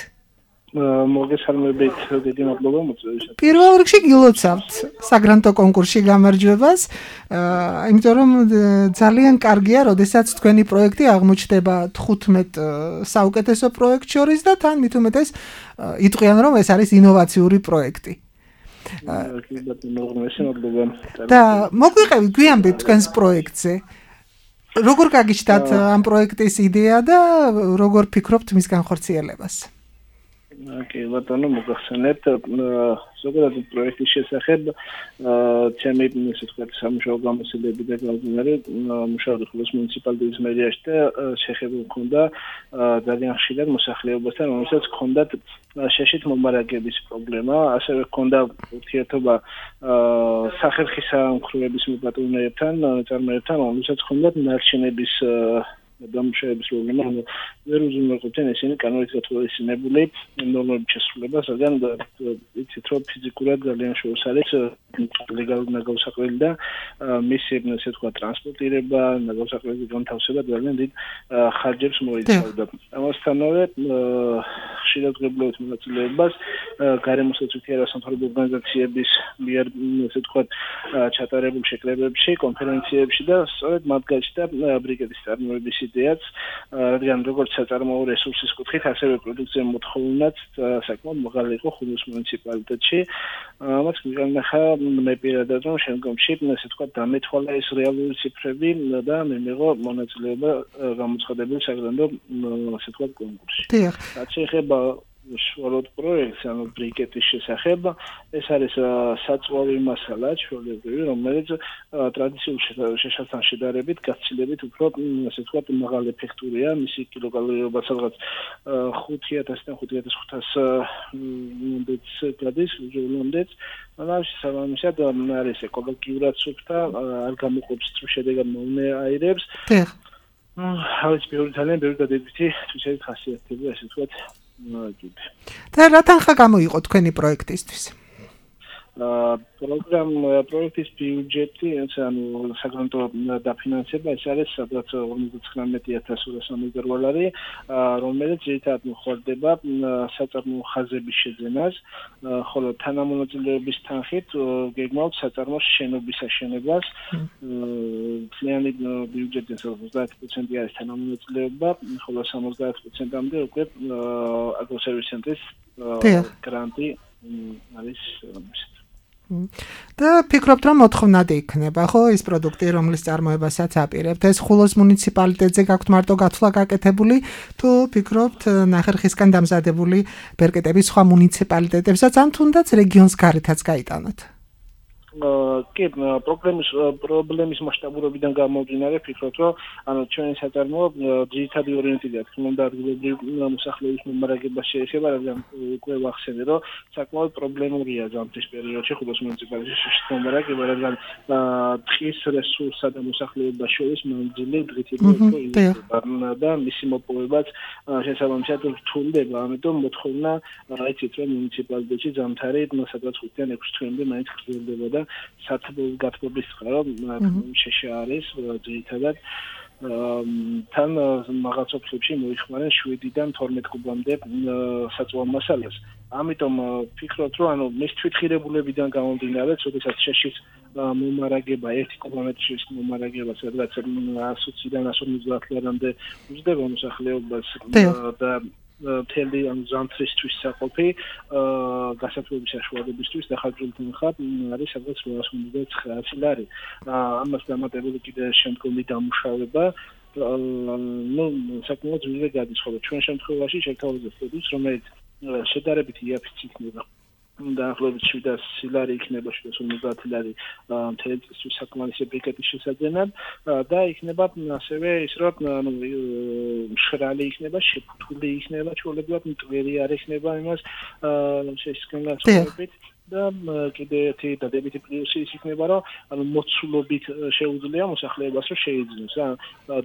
მოგესალმებით, დიდი მადლობა მოწვევისათვის. პირველ რიგში გილოცავთ საგრანტო კონკურსში გამარჯვებას, იმიტომ რომ ძალიან კარგია, როდესაც თქვენი პროექტი აღმოჩნდება 15 საუკეთესო პროექტ შორის და თან მით უმეტეს იტყვიან რომ ეს არის ინოვაციური პროექტი. და მოგვიყევით გვიანბეთ თქვენს პროექტზე. როგორ გაგიჩნდათ ამ პროექტის იდეა და როგორ ფიქრობთ მის განხორციელებას? კი, ბატონო, მოგახსენებთ, ზოგადად პროექტის შესახებ, ჩემი ისე ვთქვათ, სამუშაო გამოცდილები და გამგონარი მუშაობდი ხოლოს მუნიციპალიტეტის მერიაში და შეხება მქონდა ძალიან ხშირად მოსახლეობასთან, რომელსაც ჰქონდათ შეშით მომარაგების პრობლემა, ასევე ჰქონდა ურთიერთობა სახერხის სამსახურების მოპატრონეებთან, წარმოებთან, რომელსაც ჰქონდათ ნარჩენების დამუშავების პრობლემა, ვერ უზრუნველყოფდნენ ისინი კანონით გათვალისწინებული ნორმების შესრულებას, რადგან იცით რომ ფიზიკურად ძალიან შორს არის ლეგალური ნაგავსაყრელი და მისი ესე ვთქვათ ტრანსპორტირება, ნაგავსაყრელის განთავსება ძალიან დიდ ხარჯებს მოიცავდა. ამასთანავე ხშირად ღებულობთ მონაწილეობას გარემოსაცვითი არასამთავრობო ორგანიზაციების მიერ ესე ვთქვათ ჩატარებულ შეკრებებში, კონფერენციებში და სწორედ მათ გაჩნდა ბრიკეტის წარმოების იდეაც, რადგან როგორც საწარმოო რესურსის კუთხით, ასევე პროდუქცია მოთხოვნაც საკმაოდ მაღალი იყო ხულოს მუნიციპალიტეტში. ამას მიგანახა მე პირადად რომ შემდგომში ესე ვთქვათ დამეთვალა ეს რეალური ციფრები და მე მიღო მონაწილეობა გამოცხადებულ საგრანდო ესე ვთქვათ კონკურსში. რაც შეეხება შუალოდ პროექტს, ანუ ბრიკეტის შესახებ, ეს არის საწვავი მასალა, ჩვეულებრივი, რომელიც ტრადიციულ შეშასთან შედარებით გაცილებით უფრო, ასე ვთქვათ, მაღალი ეფექტურია, მისი კილოკალორიობა სადღაც 5000-დან 5500 მდეც გადის, უჯრედამდეც. მაგრამ შესაბამისად არის ეკოლოგიურად სუფთა, არ გამოყოფს შედეგად მოუნე აირებს. ავიც ძალიან ბევრი დადებითი თვისებით ხასიათდება, ასე ვთქვათ. და რა თანხა გამოიყო თქვენი პროექტისთვის? პროექტის ბიუჯეტი, ანუ საგრანტო დაფინანსება, ეს არის სადღაც 59200 დოლარი, რომელიც ერთად მოხდება საწარმოო ხაზების შეძენას, ხოლო თანამონაწილეობის თანხით გეგმავთ საწარმოოს შენობის აშენებას. მთლიანი ბიუჯეტის 30% არის თანამონაწილეობა, ხოლო 70%-მდე უკვე აგროსერვის ცენტრის გრანტი არის. და ფიქრობთ რომ მოთხოვნადი იქნება, ხო, ის პროდუქტი, რომლის წარმოებასაც აპირებთ, ეს ხულოს მუნიციპალიტეტზე გაქვთ მარტო გათვლა გაკეთებული, თუ ფიქრობთ ნახერხისგან დამზადებული ბერკეტების სხვა მუნიციპალიტეტებსაც, ან თუნდაც რეგიონს გარეთაც გაიტანოთ? კი, პრობლემის მასშტაბურობიდან გამომდინარე, ფიქრობთ, რომ ანუ ჩვენი საწარმოო ძირითადი ორიენტირება თქმა უნდა ადგილობრივი მოსახლეობის მომარაგებას შეეხება, რადგან უკვე ვახსენე, რომ საკმაოდ პრობლემურია ზამთრის პერიოდში ხულოს მუნიციპალიტეტში მომარაგება, რადგან ტყის რესურსსა და მოსახლეობას შორის მანძილი დღითიდღე და მისი მოპოვებაც შესაბამისად რთულდება, ამიტომ მოთხოვნა, იცით რომ მუნიციპალიტეტში ზამთარი სადღაც 5-დან 6 თვემდე მაინც გრძელდება და სათბოს გათბობის წყარო შეშა არის ძირითადად თან მაღალ სოფლებში მოიხმარენ 7-დან 12 კუბამდე საწვავ მასალას. ამიტომ ფიქრობთ, რომ ანუ მის თვითღირებულებიდან გამომდინარე, როდესაც შეშის მომარაგება 1 კუბომეტრის მომარაგება სადღაც 120-დან 150 ლარამდე უძდება მოსახლეობას და მთელი ამ ზამთრისთვის საყოფი გასათბობის საშუალებისთვის დახარჯული თანხა არის სადღაც 859 ლარი. ამას დამატებული კიდე შემდგომი დამუშავება საკმაოდ ძვირზე გადის, ხოლო ჩვენ შემთხვევაში შევთავაზებთ პროდუქტს, რომელიც შედარებით იაფიც იქნება. დაახლოებით 700 ლარი იქნება, 750 ლარი მთელი წლისთვის საკმარისი ბრიკეტის შესაძენად და იქნება ასევე ის რომ მშრალი იქნება, შეფუთული იქნება, ჩვეულებრივად მტვერი არ იქნება იმას შესკენლაცობით და კიდე ერთი დადებითი პლუსი ის იქნება, რომ ანუ მოცულობით შეუძლია მოსახლეობას რომ შეიძინოს.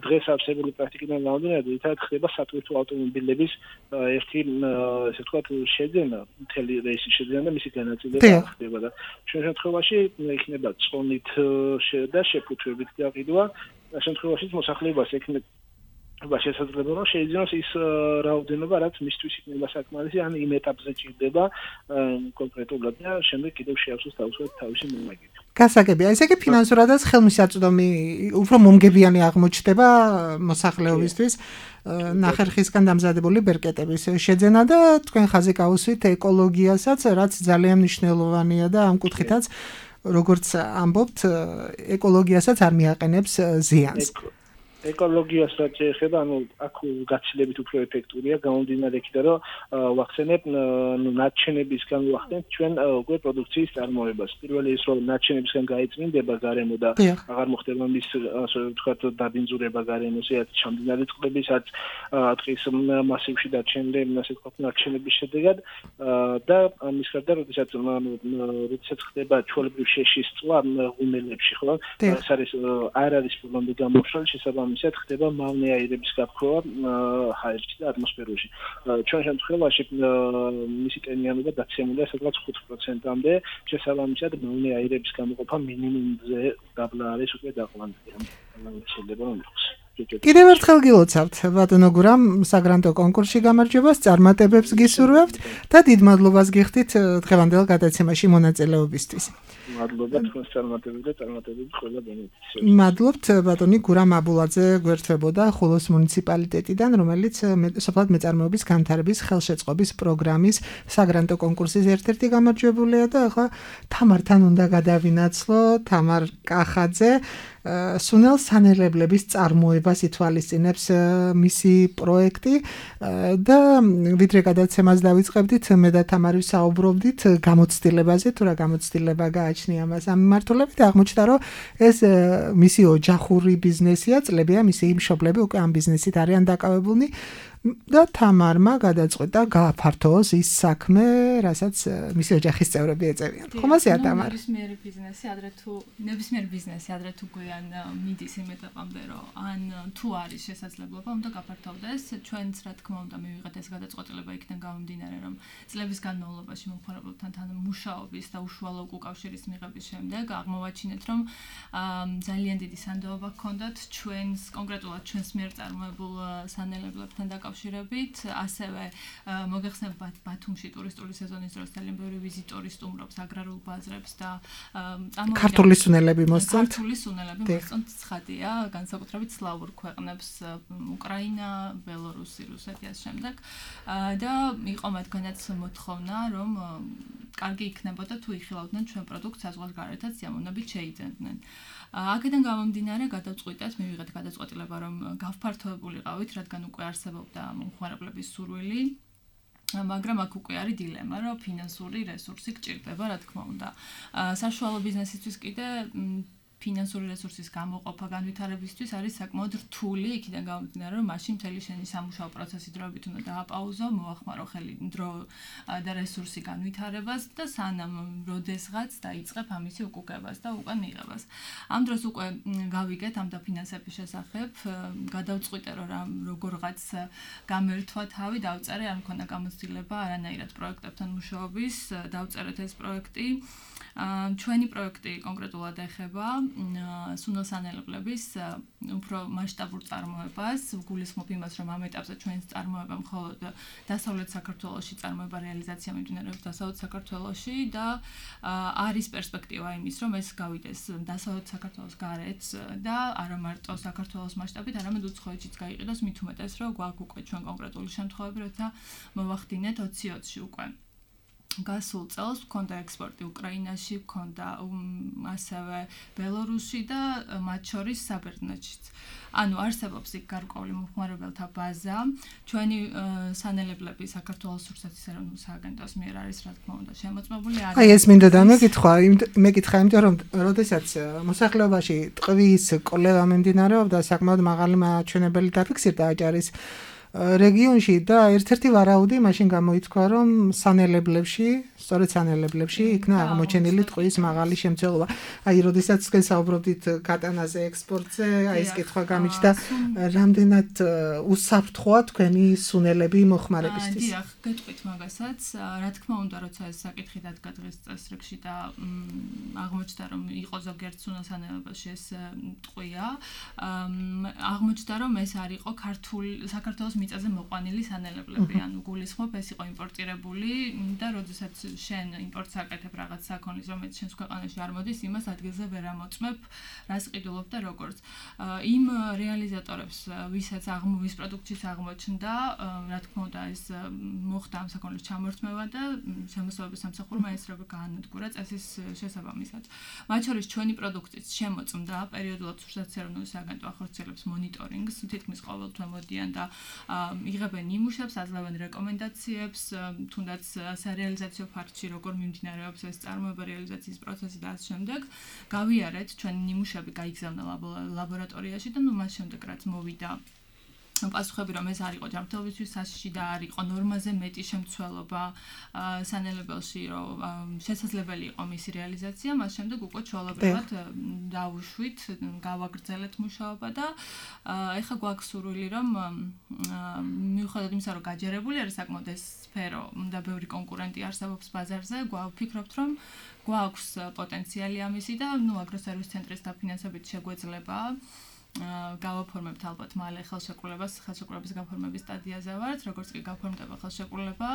დღეს არსებული პრაქტიკიდან გამომდინარე, ერთად ხდება სატვირთო ავტომობილების ერთი ესე ვთქვათ შეძენა, მთელი რეისის შეძენა და მისი განაწილება ხდება და ჩვენ შემთხვევაში იქნება წონით და შეფუთვებით გაყიდვა. შემთხვევაში მოსახლეობას ექნება შესაძლოა რომ შეიძინოს ის რაოდენობა, რაც მისთვის იქნება საკმარისი, ან იმ ეტაპზე ჭირდება კონკრეტულად და შემდეგ კიდევ შეავსოს თავისუფლად თავისი მომაგები. გასაგებია, ესე იგი ფინანსურადაც ხელმისაწვდომი უფრო მომგებიანი აღმოჩნდება მოსახლეობისთვის ნახერხისგან დამზადებული ბერკეტების შეძენა და თქვენ ხაზი გაუსვით ეკოლოგიასაც, რაც ძალიან მნიშვნელოვანია და ამ კუთხითაც როგორც ამბობთ, ეკოლოგიასაც არ მიაყენებს ზიანს. ეკოლოგიას რაც ეხება, აქ გაცილებით უფრო ეფექტურია გამომდინარე იქიდან, რომ ვახსენებ ნარჩენებისგან ვახდენთ ჩვენ უკვე პროდუქციის წარმოებას. პირველი ის რომ ნარჩენებისგან გაიწმინდება გარემო და აღარ მოხდება მის ასე ვთქვათ დაბინძურება გარემოს, რაც ჩამდინარე წყლებისაც ტყის მასივში დარჩენილი ასე ვთქვათ ნარჩენების შედეგად და ამის გარდა როდესაც ხდება ჩვეულებრივ შეშის წვა ღუმელებში, ხო? ეს არ არის პრობლემა გამოშველი შესაბამისად ხდება მავნე აირების გაფრქვა ჰაერში და ატმოსფეროში. ჩვენ შემთხვევაში მისი ტენიანობა დაცემულია სადღაც 5%-მდე, შესაბამისად მავნე აირების გამოყოფა მინიმუმზე დაბლა არის უკვე დაყვანილი. შეიძლება რომ იყოს. კიდევ ერთხელ გილოცავთ ბატონო გურამ საგრანტო კონკურსში გამარჯვებას, წარმატებებს გისურვებთ და დიდ მადლობას გიხდით დღევანდელ გადაცემაში მონაწილეობისთვის. მადლობა თქვენს წარმატებებს და წარმატებებს ყველა ბენეფიციარს. მადლობთ ბატონი გურამ აბულაძე გვერდებოდა ხულოს მუნიციპალიტეტიდან, რომელიც სოფლად მეწარმეობის განვითარების ხელშეწყობის პროგრამის საგრანტო კონკურსის ერთ-ერთი გამარჯვებულია და ახლა თამართან უნდა გადავინაცვლო, თამარ კახაძე სუნელ სანელებლების წარმოებას ითვალისწინებს მისი პროექტი და ვიდრე გადაცემას დავიწყებდით, მე და თამარი საუბრობდით გამოცდილებაზე, თუ რა გამოცდილება გააჩნია მას ამ მიმართულებით, აღმოჩნდა რომ ეს მისი ოჯახური ბიზნესია, წლებია მისი მშობლები უკვე ამ ბიზნესით არიან დაკავებულნი და თამარმა გადაწყვეტა გააფართოოს ის საქმე, რასაც მისი ოჯახის წევრები ეწევიან. ხომ ასეა თამარ? ნებისმიერი ბიზნესი ადრე თუ გვიან მიდის იმ ეტაპამდე, რომ ან თუ არის შესაძლებლობა, უნდა გაფართოვდეს. ჩვენც რა თქმა უნდა მივიღეთ ეს გადაწყვეტილება იქიდან გამომდინარე, რომ წლების განმავლობაში მომხმარებელთან მუშაობის და უშუალო უკავშირის მიღების შემდეგ აღმოვაჩინეთ, რომ ძალიან დიდი სანდოობა ჰქონდათ ჩვენს კონკრეტულად ჩვენს მიერ წარმოებულ სანელებლებთან დაკავშირებით, ასევე მოგეხსენებათ ბათუმში ტურისტული სეზონის დროს ძალიან ბევრი ვიზიტორი სტუმრობს აგრარულ ბაზრებს და ქართული სუნელები მოსწონთ. ქართული სუნელები მოსწონთ, ცხადია, განსაკუთრებით სლავურ ქვეყნებს, უკრაინა, ბელორუსი, რუსეთი ამ შემდეგ და იყო მათგანაც მოთხოვნა, რომ კარგი იქნებოდა თუ იხილავდნენ ჩვენ პროდუქტს საზღვარგარეთაც სიამოვნებით შეიძენდნენ. აქედან გამომდინარე გადავწყვიტეთ, მივიღეთ გადაწყვეტილება, რომ გავფართოებულიყავით, რადგან უკვე არსებობდა მომხმარებლების სურვილი, მაგრამ აქ უკვე არის დილემა, რომ ფინანსური რესურსი გჭირდება, რა თქმა უნდა. საშუალო ბიზნესისთვის კიდე ფინანსური რესურსის გამოყოფა განვითარებისთვის არის საკმაოდ რთული, იქიდან გამომდინარე, რომ მაშინ მთელი შენი სამუშაო პროცესი დროებით უნდა დააპაუზო, მოახმარო ხელი დრო და რესურსი განვითარებას და სანამ როდესღაც დაიწყებ ამისი უკუგებას და უკვე მიღებას. ამ დროს უკვე გავიგეთ ამ დაფინანსების შესახებ, გადავწყვიტე, რომ როგორღაც გამერთვა თავი, დავწერე, არ მქონდა გამოცდილება არანაირად პროექტებთან მუშაობის, დავწერეთ ეს პროექტი. ჩვენი პროექტი კონკრეტულად ეხება სუნელსანელებლების უფრო მასშტაბურ წარმოებას, გულისხმობ იმას, რომ ამ ეტაპზე ჩვენს წარმოება მხოლოდ დასავლეთ საქართველოში წარმოება რეალიზაცია მიმდინარეობს დასავლეთ საქართველოში და არის პერსპექტივა იმის, რომ ეს გავიდეს დასავლეთ საქართველოს გარეთ და არა მარტო საქართველოს მასშტაბით, არამედ უცხოეთშიც გაიყიდოს, მით უმეტეს, რომ გვაქვს უკვე ჩვენ კონკრეტული შემთხვევები, როცა მოვახდინეთ 2020-ში უკვე. გასულ წელს მქონდა ექსპორტი უკრაინაში, მქონდა ასევე ბელორუსში და მათ შორის საბერძნეთშიც. ანუ არსებობს იქ გარკვეული მომხმარებელთა ბაზა. ჩვენი სანელებლები საქართველოს რუსეთის ეროვნულ სააგენტოს მიერ არის, რა თქმა უნდა, შემოწმებული. აი ეს მინდოდა მეკითხა, იმიტომ რომ როდესაც მოსახლეობაში ტყვის კვლევა მიმდინარეობდა, საკმაოდ მაღალი მაჩვენებელი დაფიქსირდა აჭარის რეგიონში და ერთ-ერთი ვარაუდი მაშინ გამოითქვა, რომ სანელებლებში, სწორედ სანელებლებში იქნა აღმოჩენილი ტყვის მაღალი შემცველობა. აი, როდესაც თქვენ საუბრობდით კატანაზე, ექსპორტზე, აი ეს კითხვა გამიჩნდა, რამდენად უსაფრთხოა თქვენი სუნელები მოხმარებისთვის. დიახ, გეტყვით მაგასაც. რა თქმა უნდა, როცა ეს საკითხი დადგა დღეს წესრიგში და აღმოჩნდა, რომ იყო ზოგიერთ სუნელსანელებაში ეს ტყვია, აღმოჩნდა, რომ ეს არ იყო საქართველოს მიწაზე მოყვანილი სანელებლები, ანუ გულისხმობ ეს იყო იმპორტირებული და როდესაც შენ იმპორტს აკეთებ რაღაც საქონლის, რომელიც შენს ქვეყანაში არ მოდის, იმას ადგილზე ვერ ამოწმებ, რას ყიდულობ და როგორც. იმ რეალიზატორებს, ვისაც ვის პროდუქციის აღმოჩნდა, რა თქმა უნდა, ეს მოხდა ამ საქონლის ჩამორთმევა და შემოსევების სამსახურმა ეს როგორ გაანადგურა წესის შესაბამისად. მათ შორის ჩვენი პროდუქციის შემოწმდა პერიოდულად სოციალურ სააგენტო ახორციელებს მონიტორინგს, თითქმის ყოველთვე მოდიან და იღებენ ნიმუშებს, აძლევენ რეკომენდაციებს, თუნდაც სარეალიზაციო ფაქტში როგორ მიმდინარეობს ეს წარმოება, რეალიზაციის პროცესი და ამ შემდეგ გავიარეთ ჩვენი ნიმუშები გაიგზავნა ლაბორატორიაში და მას შემდეგ რაც მოვიდა პასუხები რომ ეს არ იყო ჯანმრთელობისთვის საშიში და არ იყო ნორმაზე მეტი შემცველობა სანელებელში რომ შესაძლებელი იყო მისი რეალიზაცია, მას შემდეგ უკვე ჩვეულებრივად დავუშვით, გავაგრძელეთ მუშაობა და ეხლა გვაქვს სურვილი რომ მიუხედავად იმისა რომ გაჯერებული არის საკმაოდ ეს სფერო და ბევრი კონკურენტი არსებობს ბაზარზე, გვაფიქრობთ რომ გვაქვს პოტენციალი ამისი და აგროსერვის ცენტრის დაფინანსებით შეგვეძლება გავაფორმებთ ალბათ მალე ხელშეკრულების გაფორმების სტადიაზე ვართ, როგორც კი გაფორმდება ხელშეკრულება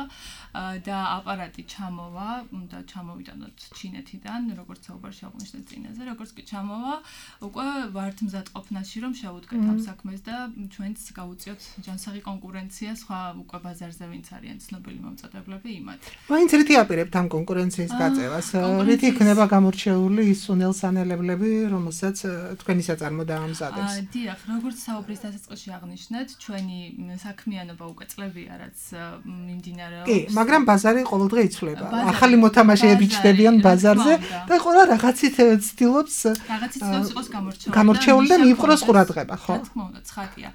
და აპარატი ჩამოვა, და ჩამოვიდანოთ ჩინეთიდან, როგორც საუბარში აღნიშნეთ წინაზე, როგორც კი ჩამოვა, უკვე ვართ მზადყოფნაში, რომ შევუდგეთ ამ საქმეს და ჩვენც გავუწიოთ ჯანსაღი კონკურენცია სხვა უკვე ბაზარზე ვინც არიან ცნობილი მომწოდებლები იმათ. მაინც რითი აპირებთ ამ კონკურენციის გაწევას? რითი იქნება გამორჩეული ის სუნელსანელებლები, რომელსაც თქვენი საწარმო დაამზადებს? დიახ, როგორც საუბრის დასაწყისში აღნიშნეთ, ჩვენი საქმიანობა უკვე წლებია, რაც მიმდინარეობს. კი, მაგრამ ბაზარი ყოველდღე იცვლება. ახალი მოთამაშეები ჩნდებიან ბაზარზე და ყველა რაღაცით ცდილობს იყოს გამორჩეული და მიიპყროს ყურადღება, ხო? რა თქმა უნდა, ცხადია.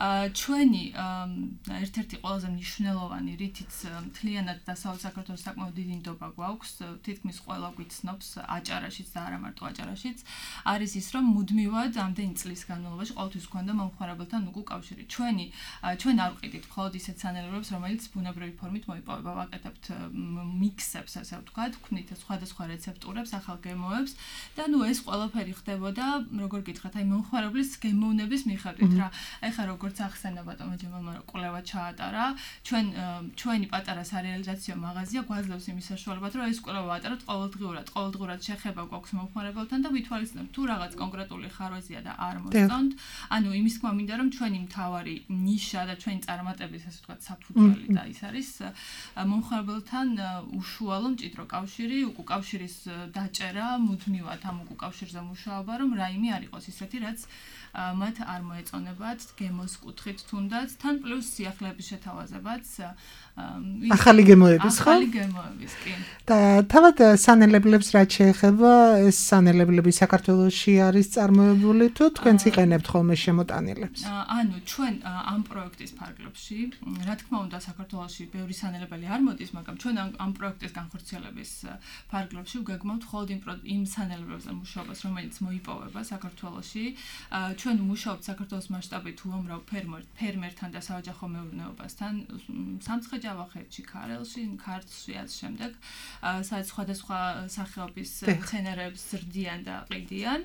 ჩვენი ერთ-ერთი ყველაზე მნიშვნელოვანი რითიც მთლიანად დასავლეთ საქართველოს საკმაოდ დიდი ნდობა გვაქვს, თითქმის ყველა გვიცნობს აჭარაშიც და არა მარტო აჭარაშიც, არის ის, რომ მუდმივად ამდენი წლის განმავლობაში ყოველთვის გვქონდა მომხმარებელთან უკავშირი. ჩვენ არ ვყიდით მხოლოდ ისეთ სანელებლებს, რომელიც ბუნებრივი ფორმით მოიპოვება, ვაკეთებთ მიქსებს, ასე ვთქვათ, ვქნით სხვადასხვა რეცეპტურებს, ახალ გემოებს და ეს ყველაფერი ხდებოდა, როგორ გითხრათ, აი მომხმარებლის გემოვნების მიხედვით რა. ეხლა როგორც ახსენა ბატონო ჯემალმა რომ კვლევა ჩაატარა, ჩვენი პატარა სარეალიზაციო მაღაზია გვაძლევს იმის საშუალებად, რომ ეს კვლევა ვატაროთ ყოველდღურად შეხება გვაქვს მომხმარებელთან და ვითვალისწინებთ თუ რაღაც კონკრეტული ხარვეზია და არ მოსწონთ. ანუ იმის თქმა მინდა რომ ჩვენი მთავარი ნიშა და ჩვენი წარმატების ასე ვთქვათ საფუძველი და ის არის მომხმარებელთან უშუალო მჭიდრო კავშირი, უკავშირის დაჭერა, მუდმივად ამ უკავშირზე მუშაობა, რომ რაიმე არ იყოს ისეთი, რაც მათ არ მოეწონებათ გემოს კუთხით თუნდაც, თან პლუს სიახლეების შეთავაზებაც ახალი გემოების, ხო? ახალი გემოების, კი. და თავად სანელებლებს რაც შეეხება, ეს სანელებლები საქართველოში არის წარმოებული თუ თქვენც იყენებთ ხოლმე შემოტანილებს? ანუ ჩვენ ამ პროექტის ფარგლებში, რა თქმა უნდა, საქართველოში ბევრი სანელებელი არ მოდის, მაგრამ ჩვენ ამ პროექტის განხორციელების ფარგლებში ვგეგმავთ მხოლოდ იმ სანელებებზე მუშაობას, რომელიც მოიპოვება საქართველოში. ჩვენ ვმუშაობთ საქართველოს მასშტაბით უამრავ ფერმერთან და საოჯახო მეურნეობასთან, სამცხე-ჯავახეთში, ქარელში, ქართლში ამ შემდეგ, სადაც სხვადასხვა სახეობის მცენარეებს ზრდიან და ყიდიან.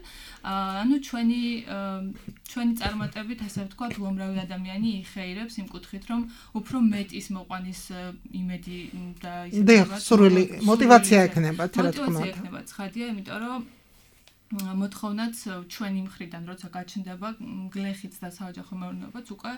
ანუ ჩვენი წარმატებით, ასე ვთქვათ, უამრავი ადამიანი იხეირებს იმ კუთხით, რომ უფრო მეტის მოყვანის იმედი და ისე ვთქვათ, სურვილი, мотиваცია ექნებათ, რა თქმა უნდა. мотиваცია ექნებათ, ხადია, იმიტომ რომ მოთხოვნაც ჩვენი მხრიდან როცა გაჩნდება გლეხიც და საოჯახო მეურნეობაც უკვე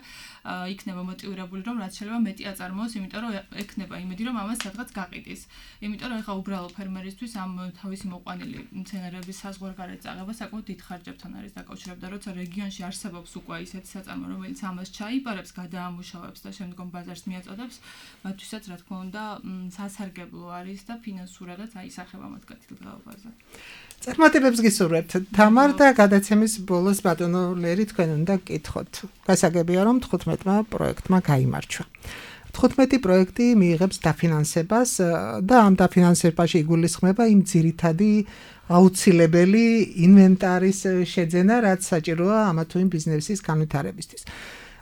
იქნება მოტივირებული რომ რაც შეიძლება მეტი აწარმოოს, იმიტომ რომ ექნება იმედი რომ ამას სადღაც გაყიდის. იმიტომ რომ ეხლა უბრალო ფერმერისთვის ამ თავისი მოყვანილი მცენარეების საზღვარგარეთ წაღება საკმაოდ დიდ ხარჯებთან არის დაკავშირებული და როცა რეგიონში არსებობს უკვე ისეთი საწარმო, რომელიც ამას ჩაიპარებს, გადაამუშავებს და შემდგომ ბაზარს მიაწოდებს, მათთვისაც რა თქმა უნდა სასარგებლო არის და ფინანსურადაც აისახება მათ კეთილდღეობაზე. წარმატებებს გისურვებთ თამარ და გადაცემის ბოლოს ბატონო ლერი თქვენ უნდა გკითხოთ. გასაგებია რომ 15-მა პროექტმა გაიმარჯვა. 15 პროექტი მიიღებს დაფინანსებას და ამ დაფინანსებაში იგულისხმება იმ ძირითადი აუცილებელი ინვენტარის შეძენა, რაც საჭიროა ამა თუ იმ ბიზნესის განვითარებისთვის.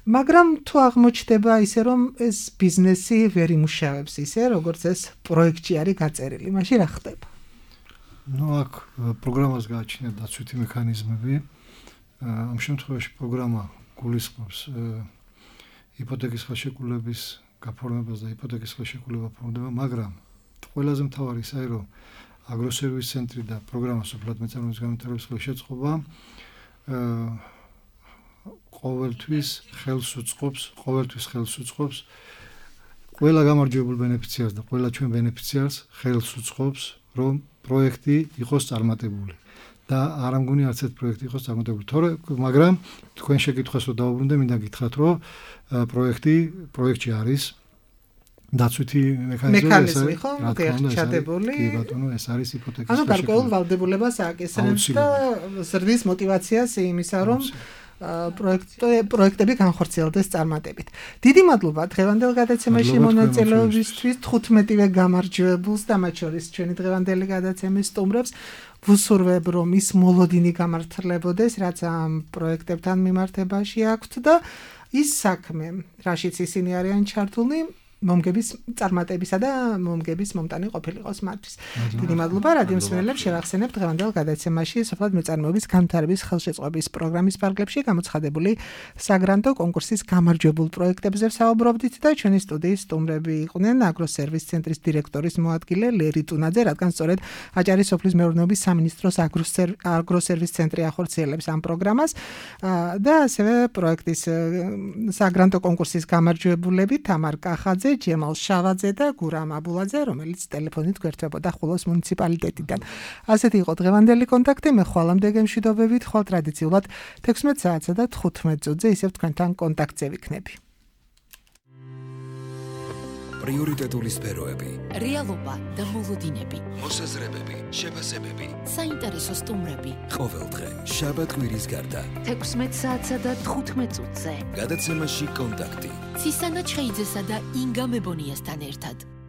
მაგრამ თუ აღმოჩნდება ისე რომ ეს ბიზნესი ვერ იმუშავებს ისე, როგორც ეს პროექტი არის გაწერილი, მაშინ რა ხდება? აქ პროგრამას გააჩნია დაცვითი მექანიზმები. ამ შემთხვევაში პროგრამა გულისხმობს იპოთეკის ხელშეკრულების გაფორმებას და იპოთეკის ხელშეკრულება ფორმდება, მაგრამ ყველაზე მთავარი ისაა, რომ აგროსერვის ცენტრი და პროგრამა სოფლად მეწარმეობის განვითარების ხელშეწყობა ყოველთვის ხელს უწყობს ყველა გამარჯვებულ ბენეფიციარს და ყველა ჩვენ ბენეფიციარს ხელს უწყობს, რომ პროექტი იყოს წარმატებული. და არ ამგონი არც ერთ პროექტი იყოს წარმატებული. მაგრამ თქვენ შეკითხვას რო დავუბრუნდე, მინდა გითხრათ, რომ პროექტი არის დაცვითი მექანიზმი, ხო? ჩადებული. კი ბატონო, ეს არის იპოთეკის ანუ გარკვეულ ვალდებულებას ააკისრებს და ზრდის მოტივაციას იმისა, რომ პროექტები განხორციელდეს წარმატებით. დიდი მადლობა დღევანდელ გადაცემაში მონაწილეობისთვის 15-ვე გამარჯვებულს და მათ შორის ჩვენი დღევანდელი გადაცემის სტუმრებს. ვუსურვებ რომ ის მოლოდინი გამართლებოდეს, რაც ამ პროექტებთან მიმართებაში აქვთ და ის საქმე, რაშიც ისინი არიან ჩართულნი, მომგების წარმატებისა და მომგების მომტანი ყოფილიყოს მათთვის. დიდი მადლობა რადიო მსმენელებს, შევახსენებთ დღევანდელ გადაცემაში სოფლად მეწარმეობის განვითარების ხელშეწყობის პროგრამის ფარგლებში გამოცხადებული საგრანტო კონკურსის გამარჯვებულ პროექტებზე ვსაუბრობდით და ჩვენი სტუდიის სტუმრები იყვნენ აგროსერვის ცენტრის დირექტორის მოადგილე ლერი ტუნაძე, რადგან სწორედ აჭარის სოფლის მეურნეობის სამინისტროს აგროსერვის ცენტრი ახორციელებს ამ პროგრამას და ასევე პროექტის საგრანტო კონკურსის გამარჯვებულები თამარ კახაძე, ჯემალ შავაძე და გურამ აბულაძე, რომელიც ტელეფონით გვერდებოდა ხულოს მუნიციპალიტეტიდან. ასეთი იყო დღევანდელი კონტაქტი. მე ხვალამდე გემშვიდობებით, ხვალ ტრადიციულად 16 საათსა და 15 წუთზე ისევ თქვენთან კონტაქტზე ვიქნები. პრიორიტეტული სფეროები, რეალობა და მოლოდინები, მოსაზრებები, შეფასებები, საინტერესო სტუმრები. ყოველდღე შაბათ-კვირის გარდა 16 საათსა და 15 წუთზე. გადაცემაში კონტაქტი. ცისანა ჩხეიძესა და ინგა მებონიასთან ერთად.